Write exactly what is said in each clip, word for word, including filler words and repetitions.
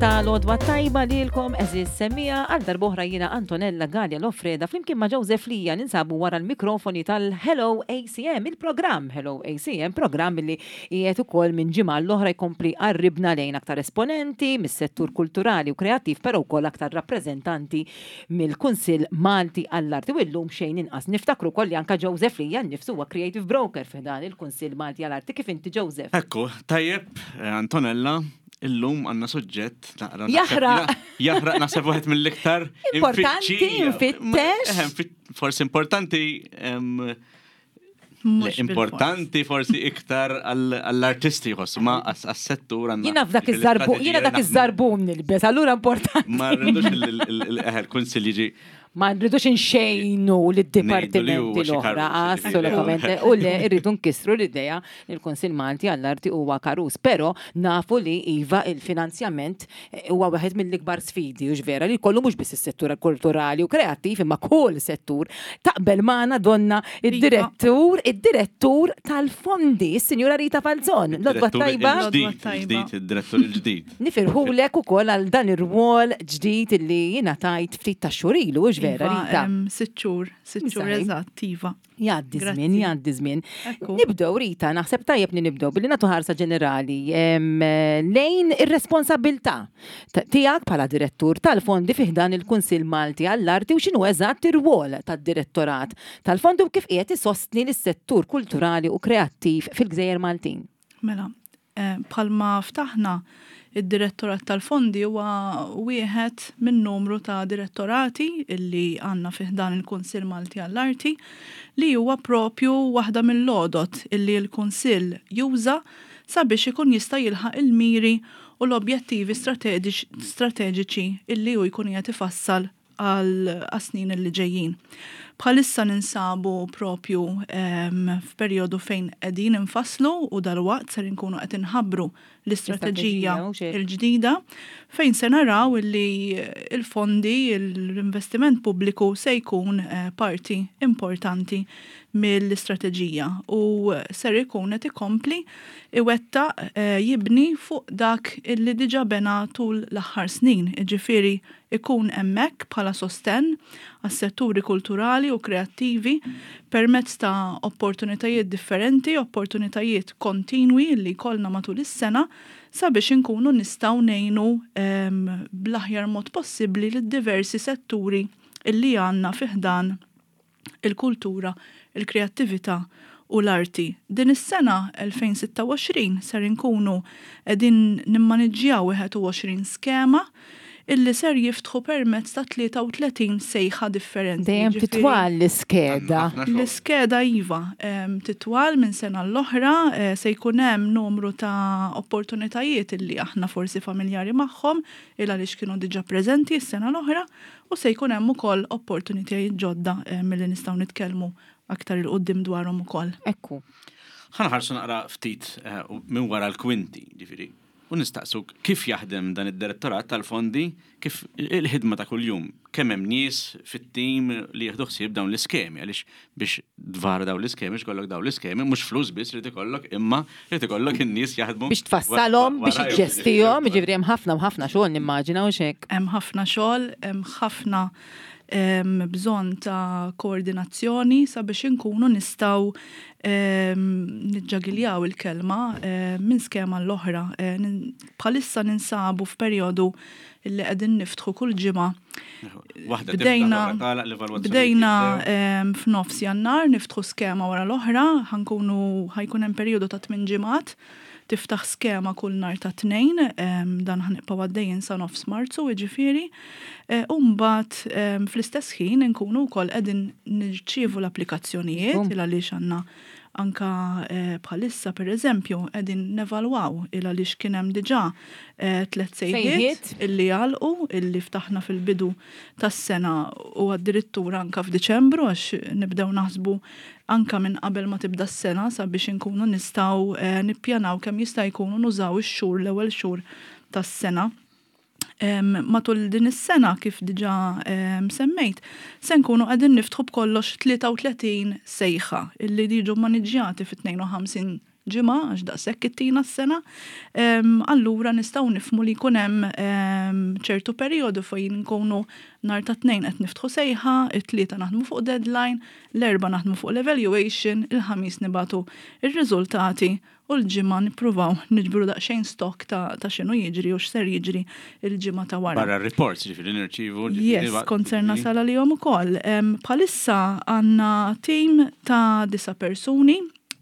Ta' l-għodwa t-tajba lilkom, għeżież semmiegħa. Għal darb'oħra jiena Antonella Galea Loffreda flimkien ma' Joseph Lija ninsabu wara l-mikrofoni tal-Hello A C M, il-programm Hello A C M, programm li qiegħed ukoll minn ġimgħa l-oħra jkompli jqarribna lejn aktar esponenti mis-settur kulturali u kreattiv, però wkoll aktar rappreżentanti mill-Kunsill Malti għall-Arti. U illum xejn inqas niftakru koll li anka Joseph Lija nnifsu huwa creative broker f'dan il-Kunsill Malti għall-Arti. Kif inti, Joseph? Ekku, tajjeb, eh, Antonella, illum għandna suġġett naqra. Jaħraq. Jaħraq, naħseb wieħed mill-iktar Importanti, imfittxija. Mfittex. Ma- eh, mfit- Forsi importanti, em, Mhux importanti forsi iktar għall- għall-artisti jħossu, ma għas-settur għandna. Jiena f'dak iż-żarbun, jiena dak iż-żarbun nilbes, allura importanti. Ma rridux il-kunsill jiġi Ma nridux inxejnu lid-dipartimenti Ngħidu li huwa xi l-oħra, karus. Assolutament. U le, irridu nkissru l-idea li l-Kunsill Malti għall-Arti huwa karus. Però nafu li iva, il-finanzjament eh, huwa wieħed mill-ikbar sfidi, u vera li kollu mhux biss is-settur kulturali u kreattiv imma kull settur. Taqbel magħna donna id-direttur, id-direttur tal-fondi, is-Sinjura Rita Falzon. L-għodwa Direttur tajba. il-ġdid, L-għodwa tajba. il-ġdid, il-direttur il-ġdid. Nifirħulek ukoll għal dan ir-rwol ġdid illi jiena tajt ftit ta' xhur ilu, hux vera, Iva, Rita? em, Sitt xhur, sitt xhur Msaj. eżatt, iva. Jgħaddi Grazzi. żmien, jgħaddi żmien. Ekku. Nibdew, Rita, naħseb tajjeb li nibdew billi nagħtu ħarsa ġenerali em, lejn ir-responsabilità ta- tiegħek bħala direttur tal-fondi fi ħdan il-Kunsill Malti għall-Arti u x'inhu eżatt ir-rwol tad-direttorat tal-fondi u kif qiegħed isostni lis-settur kulturali u kreattiv fil-Gżejjer Maltin. Mela, eh, bħalma ftaħna, id-direttorat tal-fondi huwa wieħed minn numru ta' direttorati illi għandna fi ħdan il-Kunsill Malti għall-Arti, li huwa propju waħda mill-għodod illi l-Kunsill juża sabiex ikun jista' jilħaq il-miri u l-objettivi strateġiċi strateġiċi illi hu jkun qiegħed ifassal għal snin li ġejjin. Bħalissa ninsabu propju em, f'perjodu fejn qegħdin infasslu u dalwaqt ser inkunu qed inħabbru l-istrateġija L-istrateġija, u xejn. il-ġdida fejn se naraw illi il-fondi, l-investiment pubbliku se jkun eh, parti importanti mill-istrateġija u ser ikun qed ikompli iwettaq eh, jibni fuq dak illi diġà bena tul l-aħħar snin, jiġifieri ikun hemmhekk bħala sostenn għas-setturi kulturali u kreattivi permezz ta' opportunitajiet differenti, opportunitajiet kontinwi li jkollna matul is-sena sabiex inkunu nistgħu ngħinu em, bl-aħjar mod possibbli lid-diversi setturi illi għandna fi ħdan il-kultura, il-kreattività u l-arti. Din is-sena elfejn u sitta u għoxrin ser inkunu qegħdin nimmaniġġjaw wieħed u għoxrin skema illi ser jiftħu permezz ta' tlieta u tletin sejħa differenti. Dejjem Jiġifieri- titwal l-iskeda. Ħafna xogħol. L-iskeda iva, em, titwal minn sena l-oħra, eh, se jkun hemm numru ta' opportunitajiet illi aħna forsi familjari magħhom il għaliex kienu diġà preżenti s-sena l-oħra u se jkun hemm ukoll opportunitajiet ġodda eh, milli nistgħu nitkellmu aktar 'il quddiem dwarhom ukoll. Ekku. Ħa nħarsu naqra ftit eh, u minn wara l-kwinti, ġifieri. U nistaqsuk kif jaħdem dan id-direttorat tal-fondi, kif il-ħidma ta' kuljum, kemm hemm nies fit-tim li jieħdu ħsieb dawn l-iskemi, għaliex biex dwar dawn l-iskemi, biex ikollok dawn l-iskemi, mhux flus biss li ikollok, imma li ikollok in-nies jaħdmu. Biex tfassalhom, biex warajhom. iġġestihom, ġifieri hemm ħafna u ħafna xogħol, nimmaġina, u hekk. Hemm ħafna xogħol, hemm ħafna em, bżonn ta' koordinazzjoni sabiex inkunu nistgħu em, niġġagiljaw il-kelma em, minn skema l-oħra. Eh, nin- Bħalissa ninsabu f'perjodu illi qegħdin niftħu kull ġimgħa. Waħda Bdejna tiftaħ, oħra tagħlaq, l-evalwazzjoni bdejna jibdew. em, f'nofs Jannar niftħu skema wara l-oħra, ħa nkunu ħa jkun hemm perjodu ta' tmien ġimgħat tiftaħ skema kull nhar ta' Tnejn, em, dan ħa nibqgħu għaddejjin sa nofs Marzu, jiġifieri. Eh, U mbagħad em, fl-istess ħin inkunu wkoll qegħdin nirċievu l-applikazzjonijiet Bum. il għaliex għandna anka eh, bħalissa, per eżempju, qegħdin nevalwaw il għaliex kien hemm diġà eh, tliet sejħiet Sejħiet. illi għalqu, illi ftaħna fil-bidu tas-sena u addirittura anka f'Diċembru, għax nibdew naħsbu anka minn qabel ma tibda s-sena sabiex inkunu nistgħu eh, nippjanaw kemm jista' jkunu nużaw ix-xhur, l-ewwel xhur tas-sena. Em, matul din is-sena, kif diġà em, semmejt, se nkunu qegħdin niftħu b'kollox tlieta u tletin sejħa illi jiġu maniġġjati fi tnejn u ħamsin ġimgħa, għax daqshekk ittina s-sena. Allura nistgħu nifhmu li jkun hemm ċertu perjodu fejn nkunu nhar ta' Tnejn qed niftħu sejħa, it-Tlieta naħdmu fuq deadline, l-Erbgħa naħdmu fuq l-evaluation, il-Ħamis nibagħtu ir-riżultati u l-Ġimgħa nippruvaw niġbru daqsxejn stock ta', ta x'inhu jiġri u x'ser jiġri il-ġimgħa ta' wara. Barra reports, ġifieri nirċivu. Yes, kont ser nasal għalihom ukoll. Bħalissa għandna team ta' disa' persuni.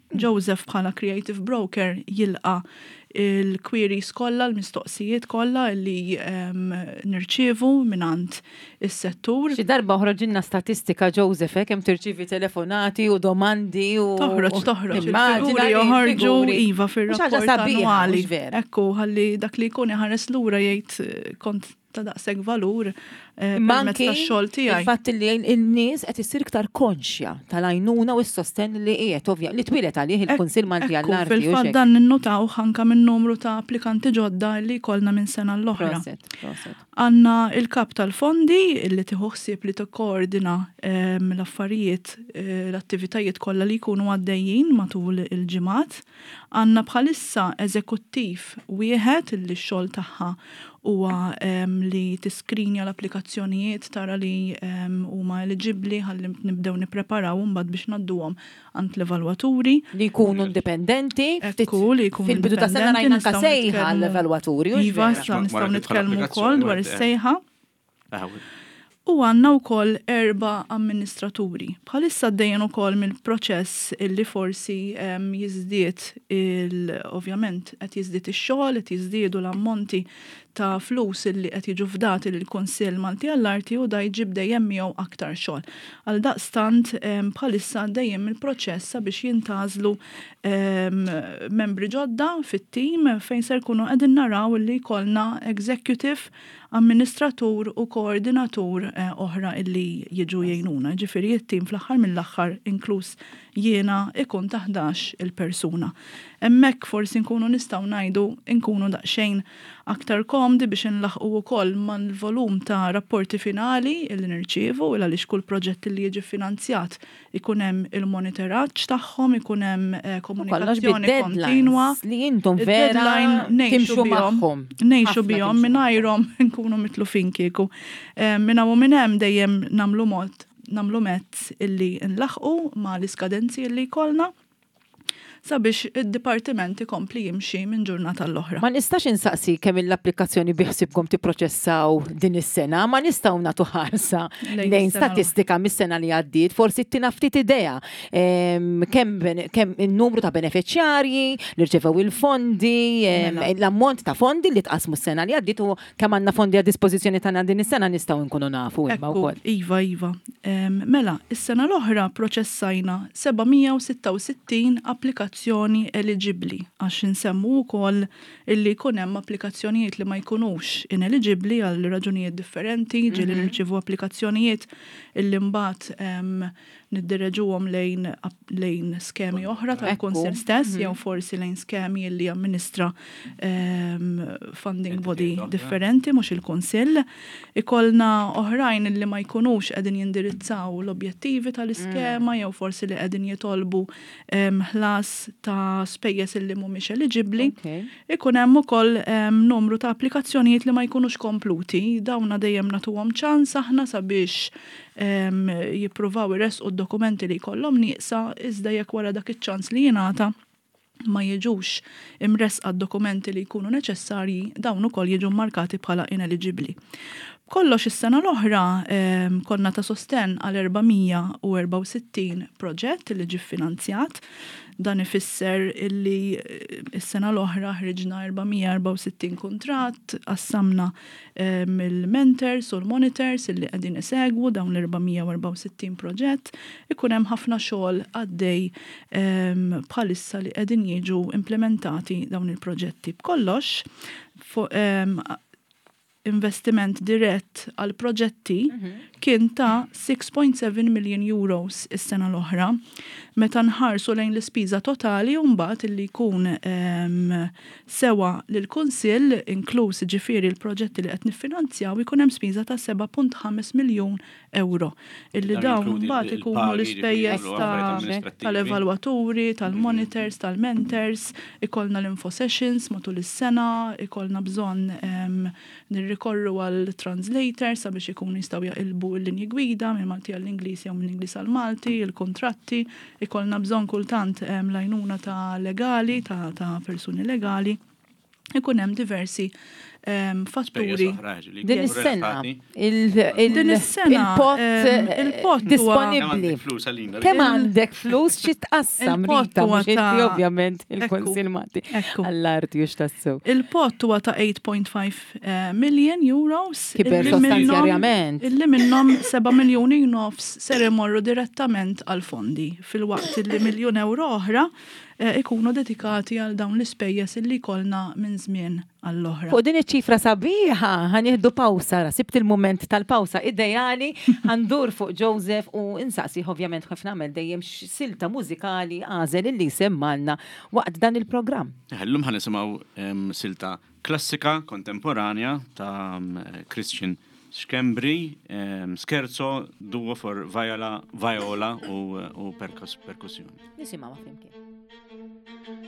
Joseph bħala creative broker jilqa il-queries kollha, l-mistoqsijiet kollha li um, nirċievu mingħand is-settur. Xi darba oħroġilna statistika, Joseph, eh, kemm tirċievi telefonati u domandi u Toħroġ, toħroġ. Il-figuri joħorġu, iva, fir-rapport annwali. Ekku, ħalli dak li jkun iħares lura jgħid eh, kont ta' daqshekk valur eh, permezz tax-xogħol tiegħi. Il-fatt li n-nies qed issir iktar konxja tal-għajnuna u s-sosten li qiegħed, ovvja, li twieled għalih il-Kunsill Malti għall-Arti. Fil-fatt dan ninnutaw anka minn numru ta' applikanti ġodda li jkollna minn sena l-oħra. Għandna il-kap tal-fondi li tieħu ħsieb li tikkoordina ehm, l-affarijiet, eh, l-attivitajiet kollha li jkunu għaddejjin matul il-ġimgħat. Għandna bħalissa eżekuttiv wieħed li x-xogħol tagħha huwa li tiskrinja l-applikazzjonijiet, tara li huma eligibbli ħalli nibdew nippreparaw mbagħad biex ngħadduhom għand l-evalwaturi. Li jkunu indipendenti. Ekku, li jkunu Fil-bidu ta' sena rajna anka sejħa l-evalwaturi. Iva, nistgħu nitkellmu wkoll dwar is-sejħa. U għandna wkoll erba' amministraturi. Bħalissa għaddejjin ukoll mill-proċess illi forsi jiżdied il ovvjament qed jiżdied ix-xogħol, qed jiżdiedu l-ammonti ta' flus illi qed jiġu fdati lill-Kunsill Malti għall-Arti u da jġib dejjem miegħu aktar xogħol. Għal daqstant bħalissa għaddejjem mill-proċess sabiex jintgħażlu membri ġodda fit-tim fejn ser kunu qegħdin naraw illi jkollna executive, amministratur u koordinatur eh, oħra illi jiġu jgħinuna. Ġifieri it-tim fl-aħħar mill-aħħar, inkluż jiena, ikun ta' ħdax il-persuna. Hemmhekk forsi nkunu nistgħu ngħidu nkunu daqsxejn aktar komdi biex nlaħqu wkoll mal-volum ta' rapporti finali illi nirċievu, il għaliex kull proġett li jiġi finanzjat ikun hemm il-monitoraġġ tagħhom, ikun hemm eh, komunikazzjoni kontinwa. Li intom vera timxu magħhom. Ngħixu bihom, mingħajrhom nkunu mitlufin kieku. Eh, minn hawn u minn hemm dejjem nagħmlu mod nagħmlu mezz illi nlaħqu ma l-iskadenzi illi jkollna sabiex id-dipartiment ikompli jimxi minn ġurnata l-oħra. Ma nistax insaqsi kemm l-applikazzjoni biħsibkom tipproċessaw din is-sena, ma nistgħu nagħtu ħarsa lejn statistika mis-sena li għaddiet, forsi ttina ftit idea kemm kemm in-numru ta' beneficjarji li rċevew il-fondi, mela. l-ammont ta' fondi li tqasmu s-sena li għaddiet u kemm għandna fondi għad dispożizzjoni tagħna din is-sena, nistgħu nkunu nafu imma wkoll. Iva, iva. Mela, is-sena l-oħra proċessajna seba' mija u sitta u sittin applikazzjoni eligibbli, għax insemmu wkoll illi jkun hemm applikazzjonijiet li ma jkunux ineligibbli għal raġunijiet differenti, ġieli mhm. nirċievu applikazzjonijiet illi mbagħad niddireġuhom lejn lejn skemi oħra tal-Kunsill stess mhm. jew forsi lejn skemi li amministra funding body differenti, mhux il-Kunsill. Ikollna oħrajn li ma jkunux qegħdin jindirizzaw l-objettivi tal-iskema mm. jew forsi li qegħdin jitolbu ħlas ta' spejjeż illi mhumiex eligibbli. Ikun hemm ukoll numru ta' applikazzjonijiet li ma jkunux kompluti. Dawna dejjem nagħtuhom ċans aħna sabiex jippruvaw iressqu d-dokumenti li jkollhom nieqsa, iżda jekk wara dak iċ-ċans li jingħata ma jiġux imresqa dokumenti li jkunu neċessarji, dawn ukoll jiġu markati bħala ineligibbli. Kollox, is-sena l-oħra konna ta' sosten għal erba' mija u erbgħa u sittin proġett li ġi finanzjat. Dan ifisser illi eh, is-sena l-oħra ħriġna erba' mija u erbgħa u sittin kuntratt, qassamna mill-mentors u l-monitors illi qegħdin isegwu dawn l-erba' mija u erbgħa u sittin proġett. Ikun hemm ħafna xogħol għaddej bħalissa li qegħdin jiġu implementati dawn il-proġetti. B'kollox, investiment dirett għal proġetti mhm. kien ta' six point seven million euros is-sena l-oħra. Meta nħarsu lejn l-ispiża totali mbagħad illi jkun em, sewa lill-Kunsill, inkluż ġifieri l-proġetti li qed niffinanzjaw, ikun hemm spiża ta' sebgħa punt ħamsa miljun euro. Illi Dan dawn jinkludi mbagħad il- ikunu il-pagi, l-ispejjeż ġifieri, u ta' affarijiet amministrattivi. tal-evalwaturi, tal-monitors, tal-mentors, ikollna l-info sessions matul is-sena, ikollna bżonn em, nirrikorru għal translators sabiex ikunu jistgħu jaqilbu l-linji gwida minn Malti għall-Ingliż jew minn Ingliż għall-Malti, il-kontratti, ikollna bżonn kultant em, l-għajnuna ta' legali, ta', ta' persuni legali. Ikun hemm diversi em, fatturi. Spejjeż oħra, ġifieri, Din jkunu is-sena relatati. il- il- Din is-sena, il-pot em, eh, il-pot huwa- Kemm disponibbli. għandek flus għalina? Kemm għandek flus xi tqassam, Il-pot Rita, huwa mhux inti ta' ovvjament Ekku, il-Kunsill Malti ekku. għall-Arti u x'tassew. Il-pot huwa ta' eight point five eh, million euros. Kiber illi minnhom- sostanzjarjament. Illi minnhom seba' miljuni nofs ser imorru direttament għal fondi filwaqt illi miljun euro oħra eh, ikunu dedikati għal dawn l-ispejjeż illi jkollna minn żmien għall-oħra. Fuq din iċ-ċifra sabiħa ħa nieħdu pawsa, ra, sibt il-moment tal-pawsa ideali, ħa ndur fuq Joseph u insaqsi ovvjament kif nagħmel dejjem silta mużikali għażel illi semmalna waqt dan il-programm. Illum ħa nisimgħu em, silta klassika kontemporanja ta' em, Christian Schembri, em, Scherzo, duo for viola, viola u, u perkus, perkussjoni. Nisimgħu flimkien. Thank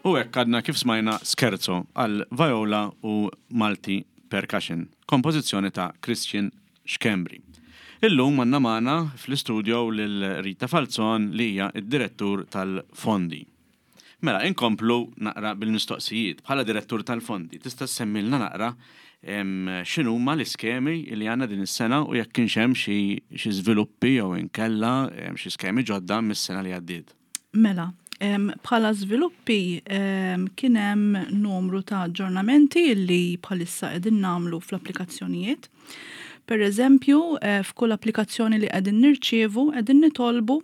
U hekk għadna kif smajna Scherzo għal viola u multi percussion, kompożizzjoni ta' Christian Schembri. Illum għandna magħna fl-istudio lil Rita Falzon, li hija id-direttur tal-fondi. Mela, inkomplu naqra bil-mistoqsijiet. Bħala direttur tal-fondi, tista' semmilna naqra x'inhuma l-iskemi li għandna din is-sena u jekk kienx hemm xi żviluppi jew inkella xi skemi ġodda mis-sena li għaddiet? Mela, bħala żviluppi kien hemm numru ta' aġġornamenti li bħalissa qegħdin nagħmlu fl-applikazzjonijiet. Per eżempju, eh, f'kull applikazzjoni li qegħdin nirċievu, qegħdin nitolbu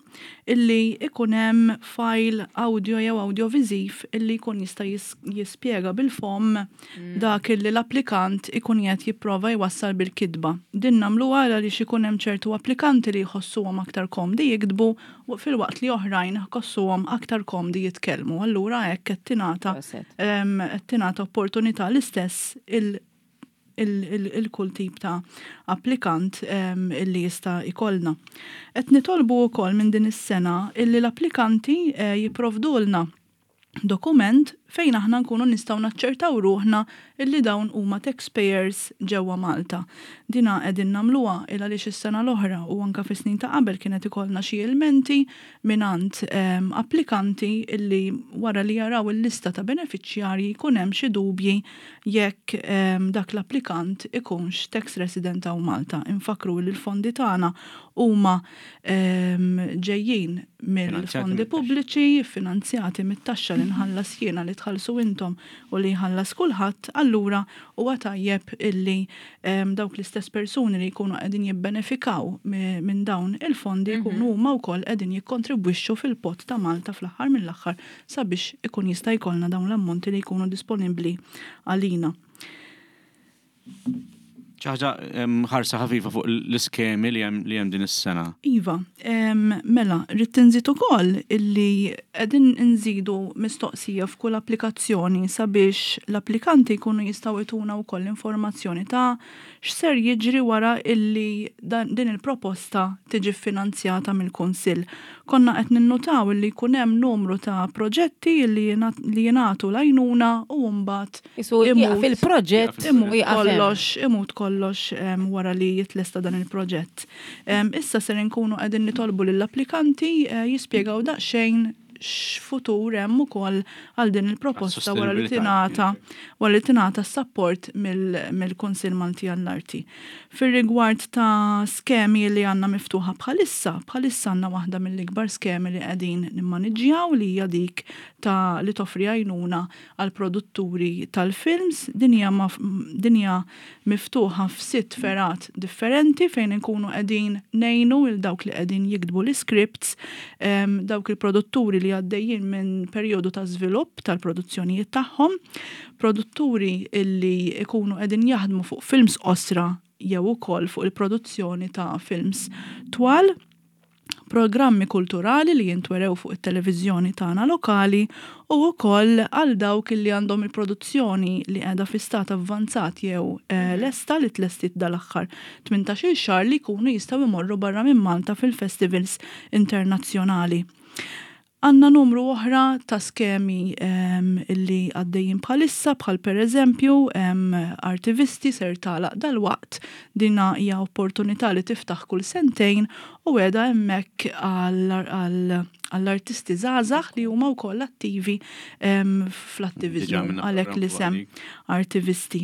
illi ikun hemm file audio jew audioviziv illi jkun jista' jispjega bil-fom mm. dak illi l-applikant ikun qed jipprova jwassal bil-kitba. Din nagħmluha għaliex ikun hemm ċertu applikanti li jħossuhom aktar komdi jiktbu filwaqt li oħrajn jħossuhom aktar komdi jitkellmu. Allura hekk qed tingħata qed tingħata opportunità l-istess il il-kull tip ta' applikant illi jista' jkollna. Qed nitolbu wkoll minn din is-sena illi l-applikanti eh, jipprovdulna dokument fejn aħna nkunu nistgħu naċċertaw ruħna illi dawn huma taxpayers ġewwa Malta. Dina qegħdin nagħmluha il għaliex is-sena l-oħra u anke fis-snin ta' qabel kienet ikollna xi ilmenti mingħand ehm, applikanti illi wara li jaraw il-lista ta' benefiċjarji jkun hemm xi dubji jekk ehm, dak l-applikant ikunx tax resident hawn Malta. Infakru li l-fondi tagħna huma ehm, ġejjin mill-fondi pubbliċi, finanzjati mit-taxxa li nħallas jiena, li tħallsu intom u li jħallas kulħadd, allura huwa tajjeb illi dawk l-istess persuni li jkunu qegħdin jibbenefikaw minn dawn il-fondi jkunu mhm. huma wkoll qegħdin jikkontribwixxu fil-pot ta' Malta fl-aħħar mill-aħħar sabiex ikun jista' jkollna dawn l-ammonti li jkunu disponibbli għalina. Ċaħġa ħarsa ħafifa fuq l-iskemi li hemm din is-sena. Iva, mela, rrid inżid ukoll illi qegħdin nżidu mistoqsija f'kull applikazzjoni sabiex l-applikanti jkunu jistgħu jtuna wkoll informazzjoni ta' x'ser jiġri wara illi din il-proposta tiġi finanzjata mill-Kunsill. Konna qed ninnutaw illi jkun hemm numru ta' proġetti li jingħatu l-għajnuna u mbagħad fil-proġett imut kollox, imut kollox wara li jitlesta dan il-proġett. Issa ser nkunu qegħdin nitolbu lill-applikanti eh, jispjegaw daqsxejn x'futur hemm ukoll għal din il-proposta wara li tingħata wara li tingħata support mill-Kunsill Malti għall-Arti. Fir-rigward ta' skemi li għandna miftuħa bħalissa, bħalissa għandna waħda mill-ikbar skemi li qegħdin nimmaniġġjaw, li hija dik ta' li toffri għajnuna għal produtturi tal-films. Din hija din hija miftuħa f'sitt fergħat differenti fejn inkunu qegħdin ngħinu il dawk li qegħdin jiktbu l-scripts, dawk il-produtturi li għaddejjin minn perjodu ta' żvilupp tal-produzzjonijiet tagħhom, produtturi illi ikunu qegħdin jaħdmu fuq films qosra jew ukoll fuq il-produzzjoni ta' films twal, programmi kulturali li jintwerew fuq it-televiżjoni tagħna lokali u wkoll għal dawk li għandhom il-produzzjoni li qiegħda fi stat avvanzat jew eh, lesta, li tlestit dal-aħħar tmintax-il xahar, li jkunu jistgħu jmorru barra minn Malta fil-festivals internazzjonali. Għanna numru oħra ta' skemi um, illi għaddejjin bħalissa, bħal per eżempju um, Artivisti ser tagħlaq dal-waqt. Dina hija opportunità li tiftaħ kull sentejn u qiegħda hemmhekk għall-artisti żgħażagħ li huma wkoll attivi um, fl-attivizmu, għalhekk l-isem Artivisti.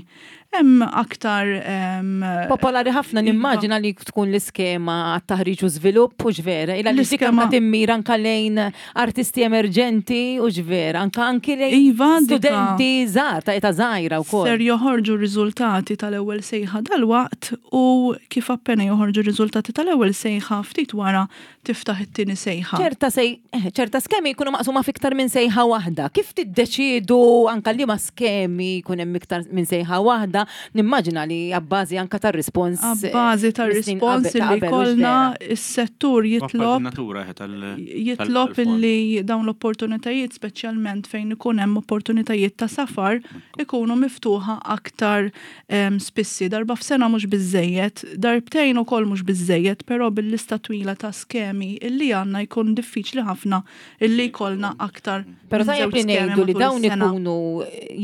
Hemm aktar um, Popolari ħafna iva. Nimmaġina li tkun l-iskema għat-taħriġ u żvilupp, u vera, illa li dik anka timmira anka lejn artisti emerġenti, u vera, anka anki lejn Iva, studenti żgħar ta' età żgħira wkoll. Ser joħorġu riżultati tal-ewwel sejħa dal-waqt u kif appena joħorġu riżultati tal-ewwel sejħa, ftit wara tiftaħ it-tieni sejħa. ċerta sej, eh, ċerta skemi jkunu maqsuma fiktar minn sejħa waħda. Kif tiddeċidu anka li ma skemi jkun hemm iktar minn sejħa waħda? Nimmaġina li abbażi anka tar-rispons. Abbażi tar-rispons li jkollna, is-settur jitlob Natura tal jitlob illi dawn l-opportunitajiet, speċjalment fejn ikun hemm opportunitajiet ta' safar, ikunu miftuħa aktar em, spissi. Darba f'sena mhux biżejjed, darbtejn ukoll mhux biżejjed, però bil-lista twila ta' skemi illi għandna jkun diffiċli ħafna illi jkollna aktar Pero minn tajjeb żewġ li skemi ngħidu li matul dawn is-sena. ikunu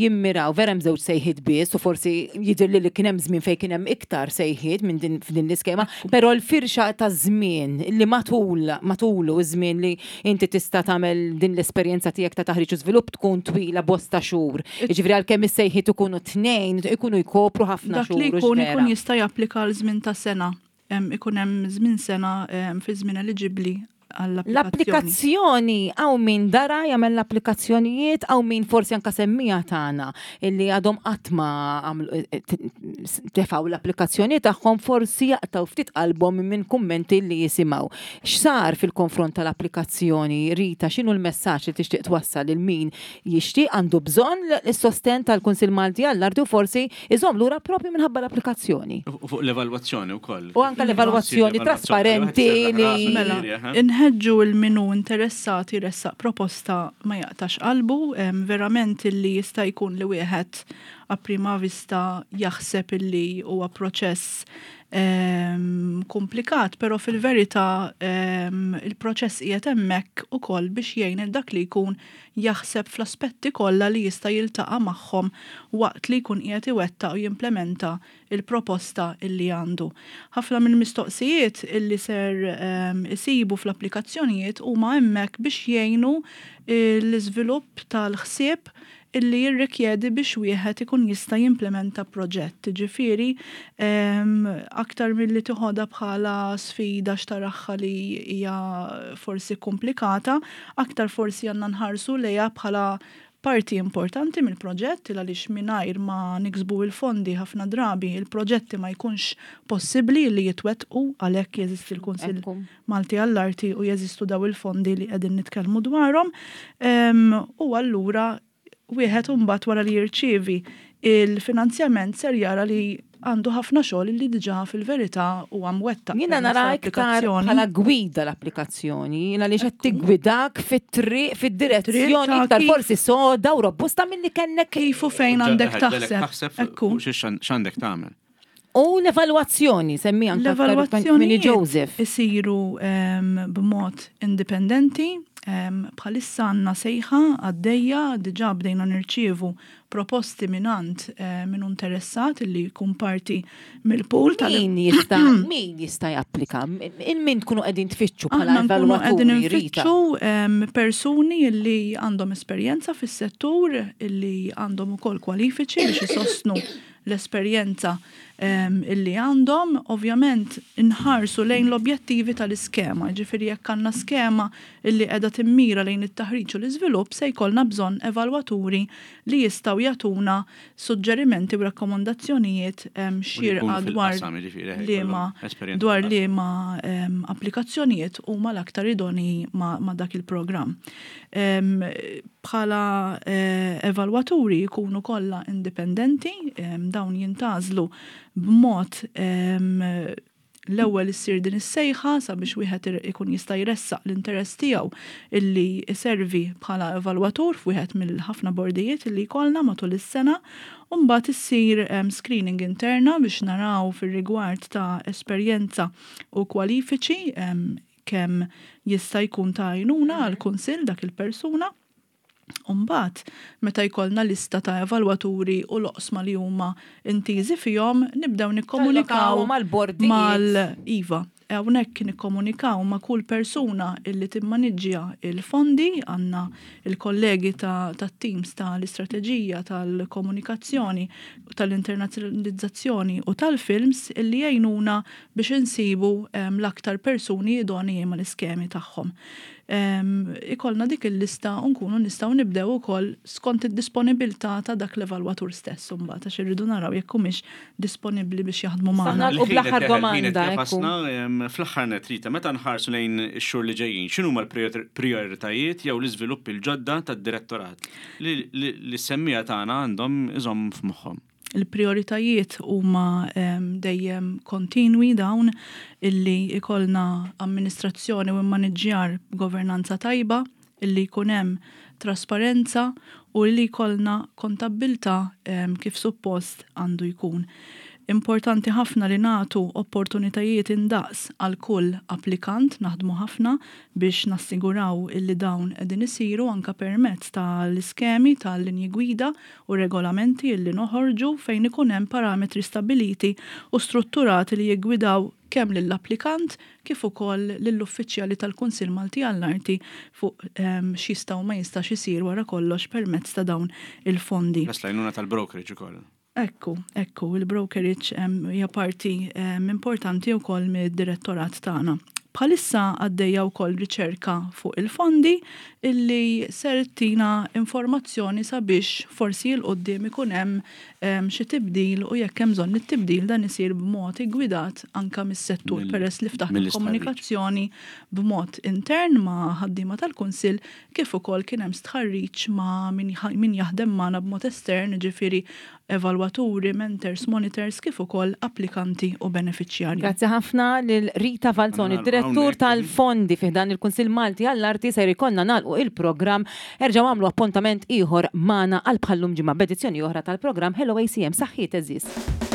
jimmiraw vera hemm żewġ sejħiet biss u forsi jidher li li kien hemm żmien fejn kien hemm iktar sejħiet minn din f'din l-iskema, però l-firxa ta' żmien li matul matulu iż-żmien li inti tista' tagħmel din l-esperjenza tiegħek ta' taħriġ u żvilupp tkun twila bosta xhur. Jiġifieri għalkemm is-sejħiet ikunu tnejn, ikunu jkopru ħafna Dak xhur. li hux jkun vera? ikun jista' japplika għal żmien ta' sena. Em, Ikun hemm żmien sena em, fi żmien eliġibbli għall-applikazzjoni. L-applikazzjoni, hawn min dara jagħmel l-applikazzjonijiet, hawn min forsi anka semmiegħa tagħna illi għadhom qatt ma għamlu eh, t- tefgħu l-applikazzjoni tagħhom, forsi jaqtaw ftit qalbhom minn kummenti li jisimgħu. X'sar fil-konfront tal-applikazzjoni, Rita, x'inhu l-messaġġ li tixtieq twassal lil min jixtieq, għandu bżonn is-sosten tal-Kunsill Malti għall-Arti u forsi iżomm lura propju minħabba l-applikazzjoni? U fuq l-evalwazzjoni wkoll. U anka l-evalwazzjoni trasparenti li- Mela, inħeġġu lil min hu interessat jressaq proposta ma jaqtax qalbu, em, verament illi jista' jkun li wieħed a prima vista jaħseb illi huwa proċess em, komplikat, però fil-verità em, il-proċess qiegħed hemmhekk ukoll biex jgħin il dak li jkun jaħseb fl-aspetti kollha li jista' jiltaqa' magħhom waqt li jkun qiegħed iwettaq u jimplementa il-proposta illi għandu. Ħafna mill-mistoqsijiet illi ser em, isibu fl-applikazzjonijiet huma hemmhekk biex jgħinu l-iżvilupp tal-ħsieb illi jirrikjedi biex wieħed ikun jista' jimplementa proġett. Ġifieri, em, aktar milli tiħodha bħala sfida x'taraha li hija forsi komplikata, aktar forsi għandna nħarsu lejha bħala parti importanti mill-proġett, il għaliex mingħajr ma niksbu il-fondi ħafna drabi il-proġetti ma jkunx possibbli li jitwettqu, għalhekk jeżisti l-Kunsill Ekku. Malti għall-Arti u jeżistu daw il-fondi li qegħdin nitkellmu dwarhom. Em, U allura wieħed imbagħad wara li jirċievi il-finanzjament ser jara li għandu ħafna xogħol li diġà fil-verità huwa mwettaq Jiena permezz nara iktar tal-applikazzjoni. bħala gwida l-applikazzjoni, jiena li qed tiggwidak fit-triq, fid-direzzjoni Ta' iktar kif- forsi soda u robusta milli kellek. Kif u fejn għandek taħseb. Taħseb Ekku. fuq x'għandek tagħmel. U l-evalwazzjoni, semmi anka aktar minni L-evalwazzjonijiet Joseph. isiru em, b'mod indipendenti, em, bħalissa għandna sejħa għaddejja, diġà bdejna nirċievu proposti mingħand eh, min interessat li jkun parti mill-pool tal Min jista' min jista' japplika? In min tkunu qegħdin tfittxu bħala Aħna nkunu qegħdin evalwaturi, Rita? nfittxu em, persuni li għandhom esperjenza fis-settur, illi għandhom ukoll kwalifiċi biex isostnu l-esperjenza em, illi għandhom. Ovvjament inħarsu lejn l-objettivi tal-iskema, ġifieri jekk għandna skema illi qiegħda timmira lejn it-taħriġ u l-iżvilupp, se jkollna bżonn evalwaturi li jistgħu jagħtuna suġġerimenti u rakkomandazzjonijiet em, xierqa dwar fil-qasam, jiġifieri, liema jkollhom esperjenza dwar fil-qasam. liema em, applikazzjonijiet huma l-aktar idoni ma, ma dak il-programm. Em, Bħala eh, evalwaturi jkunu kollha indipendenti, em, dawn jintgħażlu b'mod em, l-ewwel issir din is-sejħa sabiex wieħed ir- ikun jista' jressaq l-interess tiegħu illi iservi bħala evalwatur f'wieħed mill-ħafna bordijiet illi jkollna matul is-sena, u mbagħad issir em, screening interna biex naraw fir-rigward ta' esperjenza u kwalifiċi em, kemm jista' jkun ta' għajnuna għall-kunsill dak il-persuna. Umbat, meta jkollna lista ta' evalwaturi u l-oqsma li huma intiżi fihom, nibdew nikkomunikaw Tallokawhom mal-bordijiet. mal-Iva. Hawnhekk nikkomunikaw ma' kull persuna illi timmaniġġja il-fondi, għandna il-kollegi ta' tat-teams tal-istrateġija, tal-komunikazzjoni, tal-internazzjonalizzazzjoni u tal-films illi jgħinuna biex insibu em, l-aktar persuni idonei mal-iskemi tagħhom. Em, Ikollna dik il-lista u nkunu nistgħu nibdew ukoll skont id-disponibilità ta' dak l-evalwatur stess imbagħad, għax irridu naraw jekk humiex disponibbli biex jaħdmu magħna. Saħna- U bl-aħħar domanda, ekku. Fl-aħħar net, Rita, meta nħarsu lejn ix-xhur li ġejjin, x'inhuma l-prioritajiet jew l-iżvilupp il-ġodda tad-direttorat li li- li s-semmiegħa tagħna għandhom iżomm f'moħħhom? Il-prioritajiet huma dejjem kontinwi dawn illi ikollna amministrazzjoni u immaniġġjar governanza tajba, illi jkun hemm trasparenza u li jkollna kontabbiltà kif suppost għandu jkun. Importanti ħafna li nagħtu opportunitajiet indaqs għal kull applikant, naħdmu ħafna biex nassiguraw illi dawn qegħdin isiru anka permezz tal-iskemi tal-linji gwida u regolamenti illi noħorġu fejn ikun hemm parametri stabbiliti u strutturati li jiggwidaw kemm lill-applikant kif ukoll lill-uffiċjali tal-Kunsill Malti għall-Arti fuq ehm, x'jista' u ma jistax isir wara kollox permezz ta' dawn il-fondi. Plus l-għajnuna tal-brokerage ukoll. Ekku, ekku, il-brokerage hija parti importanti wkoll mid-direttorat tagħna. Bħalissa għaddejja wkoll riċerka fuq il-fondi illi ser tina informazzjoni sabiex forsi 'l quddiem ikun hemm xi tibdil u jekk hemm bżonn it-tibdil dan isir b'mod iggwidat anka mis-settur peress li ftaħna komunikazzjoni b'mod intern ma' ħaddiema tal-Kunsill kif ukoll kien hemm stħarriġ ma' min jaħdem magħna b'mod estern, ġifieri evalwaturi, mentors, monitors, kif ukoll applikanti u beneficjarji. Grazzi ħafna lil Rita Falzoni, direttur tal-fondi fi dan il-Kunsill Malti għall-Arti ser ikollna nagħlqu il-programm. Erġgħu għamlu appuntament ieħor magħna għal bħal-lum ġimgħa b'edizzjoni oħra tal-programm Hello A C M. Saħħiet, għeżież.